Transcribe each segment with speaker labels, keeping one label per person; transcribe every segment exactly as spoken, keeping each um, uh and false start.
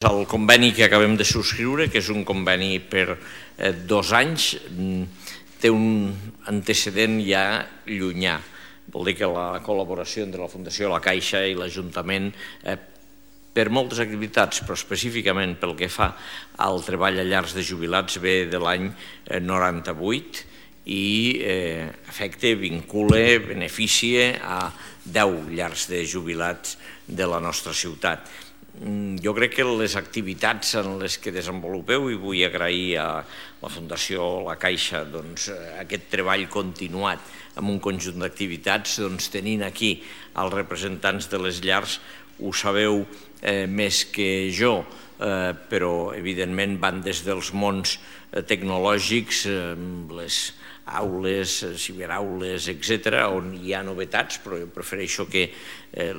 Speaker 1: El conveni que acabem de subscriure, que és un conveni per eh, dos anys, té un antecedent ja llunyà. Vol dir que la col·laboració entre la Fundació La Caixa i l'Ajuntament eh, per moltes activitats, però específicament pel que fa al treball a llars de jubilats, ve de l'any noranta-vuit i eh, afecta, vincula, beneficia a deu llars de jubilats de la nostra ciutat. Jo crec que les activitats en les que desenvolupeu, i vull agrair a la Fundació La Caixa aquest treball continuat amb un conjunt d'activitats, tenint aquí els representants de les llars, ho sabeu més que jo, però evidentment van des dels mons tecnològics, les aules, ciberaules, etcètera, on hi ha novetats, però jo prefereixo que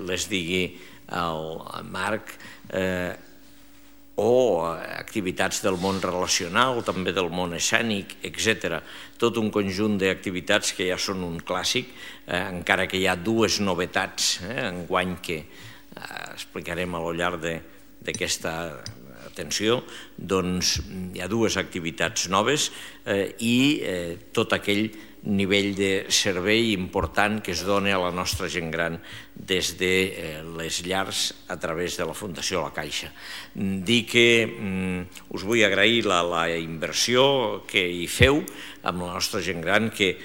Speaker 1: les digui el Marc, o activitats del món relacional, també del món escènic, etcètera. Tot un conjunt d'activitats que ja són un clàssic, encara que hi ha dues novetats enguany que explicarem a lo llarg d'aquesta atenció, doncs hi ha dues activitats noves i tot aquell nivell de servei important que es dona a la nostra gent gran des de les llars a través de la Fundació La Caixa. Dir que us vull agrair la inversió que hi feu amb la nostra gent gran, que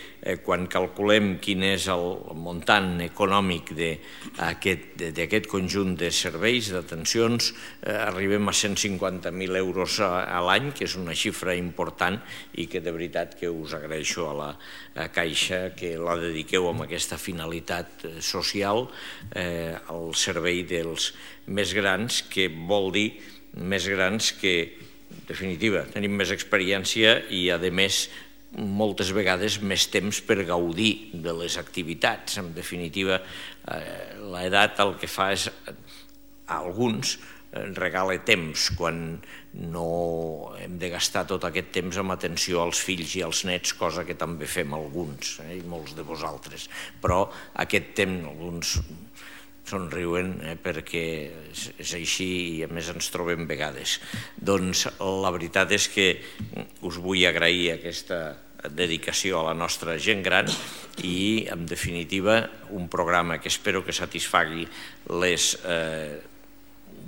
Speaker 1: quan calculem quin és el muntant econòmic d'aquest conjunt de serveis, d'atencions, arribem a cent cinquanta mil euros a l'any, que és una xifra important i que de veritat que us agraeixo a la Caixa que la dediqueu amb aquesta finalitat social al servei dels més grans, que vol dir més grans que, en definitiva, tenim més experiència i, a més, moltes vegades més temps per gaudir de les activitats. En definitiva, l'edat el que fa és, a alguns, regala temps, quan no hem de gastar tot aquest temps amb atenció als fills i als nets, cosa que també fem alguns, i molts de vosaltres. Però aquest temps, alguns somriuen perquè és així i a més ens trobem vegades. Doncs la veritat és que us vull agrair aquesta dedicació a la nostra gent gran i, en definitiva, un programa que espero que satisfagui les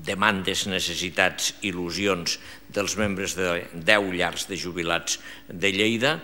Speaker 1: demandes, necessitats, il·lusions dels membres de deu llars de jubilats de Lleida